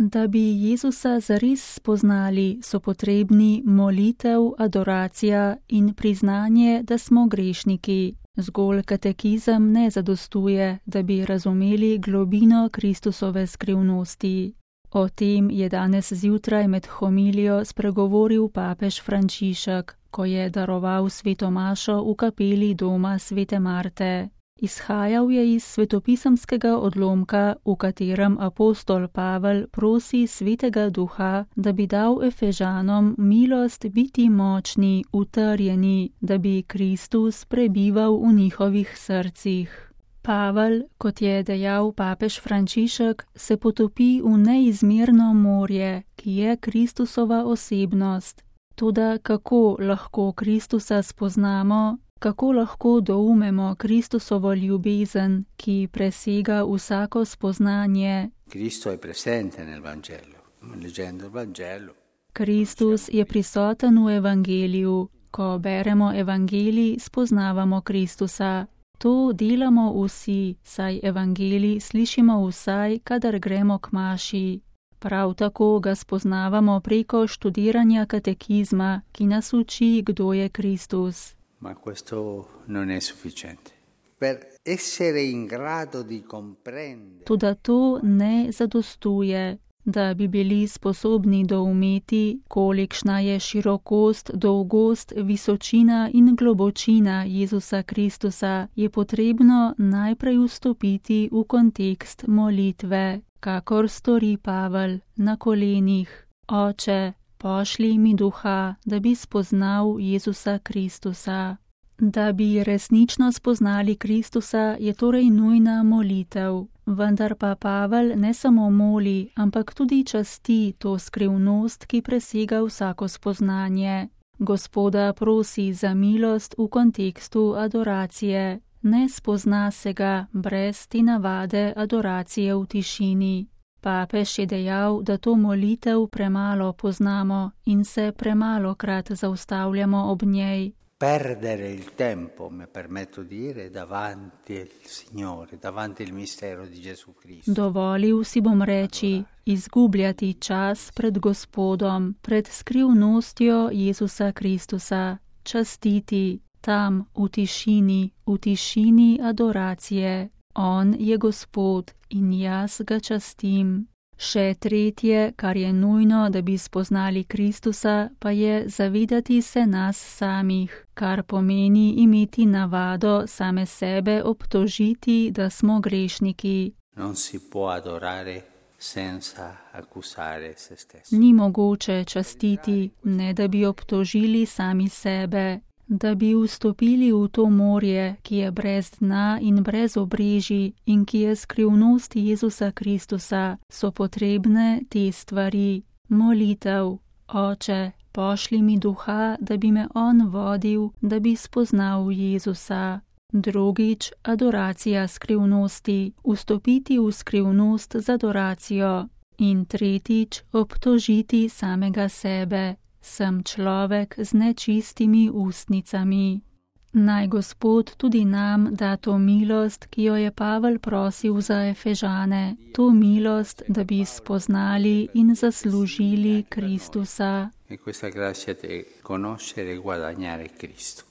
Da bi Jezusa zares spoznali, so potrebni molitev, adoracija in priznanje, da smo grešniki. Zgolj katekizem ne zadostuje, da bi razumeli globino Kristusove skrivnosti. O tem je danes zjutraj med homilijo spregovoril papež Frančišek, ko je daroval sveto mašo v kapeli doma svete Marte. Izhajal je iz svetopisemskega odlomka, v katerem apostol Pavel prosi svetega duha, da bi dal Efežanom milost biti močni, utrjeni, da bi Kristus prebival v njihovih srcih. Pavel, kot je dejal papež Frančišek, se potopi v neizmerno morje, ki je Kristusova osebnost. Toda kako lahko Kristusa spoznamo? Kako lahko doumemo Kristusovo ljubezen, ki presega vsako spoznanje? Kristus je prisoten v evangeliju. Ko beremo evangelij, spoznavamo Kristusa. To delamo vsi, saj evangelij slišimo vsaj, kadar gremo k maši. Prav tako ga spoznavamo preko študiranja katekizma, ki nas uči, kdo je Kristus. Ma questo non è sufficiente. Per essere in grado di comprendere. Toda to ne zadostuje, da bi bili sposobni doumeti, kolikšna je širokost, dolgost, visočina in globočina Jezusa Kristusa, je potrebno najprej vstopiti v kontekst molitve, kakor stori Pavel na kolenih. Oče, pošlji mi duha, da bi spoznal Jezusa Kristusa. Da bi resnično spoznali Kristusa, je torej nujna molitev. Vendar pa Pavel ne samo moli, ampak tudi časti to skrivnost, ki presega vsako spoznanje. Gospoda prosi za milost v kontekstu adoracije. Ne spozna se ga brez te navade adoracije v tišini. Papež je dejal, da to molitev premalo poznamo in se premalokrat zaustavljamo ob njej. Perdere il tempo, mi permetto di dire, davanti al Signore, davanti al mistero di Gesù Cristo. Dovolil si bom reči, izgubljati čas pred Gospodom, pred skrivnostjo Jezusa Kristusa, častiti tam v tišini adoracije. On je Gospod in jaz ga častim. Še tretje, kar je nujno, da bi spoznali Kristusa, pa je zavedati se nas samih, kar pomeni imeti navado same sebe obtožiti, da smo grešniki. Non si può adorare senza accusare se stessi. Ni mogoče častiti, ne da bi obtožili sami sebe. Da bi vstopili v to morje, ki je brez dna in brez obrežij in ki je skrivnost Jezusa Kristusa, so potrebne te stvari. Molitev, Oče, pošlji mi duha, da bi me on vodil, da bi spoznal Jezusa. Drugič, adoracija skrivnosti, vstopiti v skrivnost z adoracijo. In tretjič, obtožiti samega sebe. Sem človek z nečistimi ustnicami. Naj Gospod tudi nam da to milost, ki jo je Pavel prosil za Efežane, to milost, da bi spoznali in zaslužili Kristusa. E questa grazia di conoscere e guadagnare Cristo.